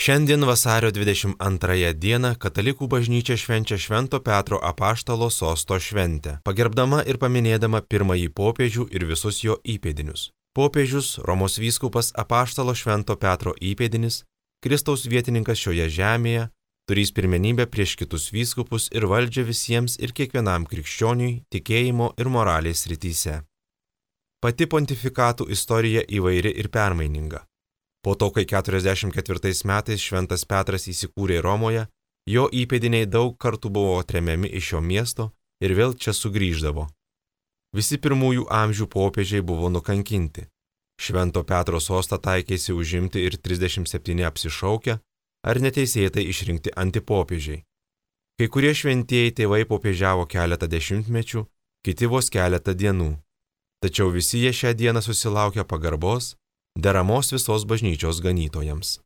Šiandien vasario 22 dieną Katalikų bažnyčia švenčia Švento Petro apaštalo sosto šventę, pagerbdama ir paminėdama pirmąjį popiežių ir visus jo įpėdinius. Popiežius, Romos vyskupas apaštalo Švento Petro įpėdinis, Kristaus vietininkas šioje žemėje, turės pirmenybę prieš kitus vyskupus ir valdžią visiems ir kiekvienam krikščioniui tikėjimo ir moralės srityse. Pati pontifikatų istorija įvairi ir permaininga. Po to, kai 44 metais Šventas Petras įsikūrė Romoje, jo įpėdiniai daug kartų buvo tremiami iš šio miesto ir vėl čia sugrįždavo. Visi pirmųjų amžių popiežiai buvo nukankinti. Švento Petro sostą taikėsi užimti ir 37 apsišaukę ar neteisėtai išrinkti antipopiežiai. Kai kurie šventieji tėvai popiežiavo keletą dešimtmečių, kiti vos keletą dienų. Tačiau visi jie šią dieną susilaukia pagarbos, deramos visos bažnyčios ganytojams.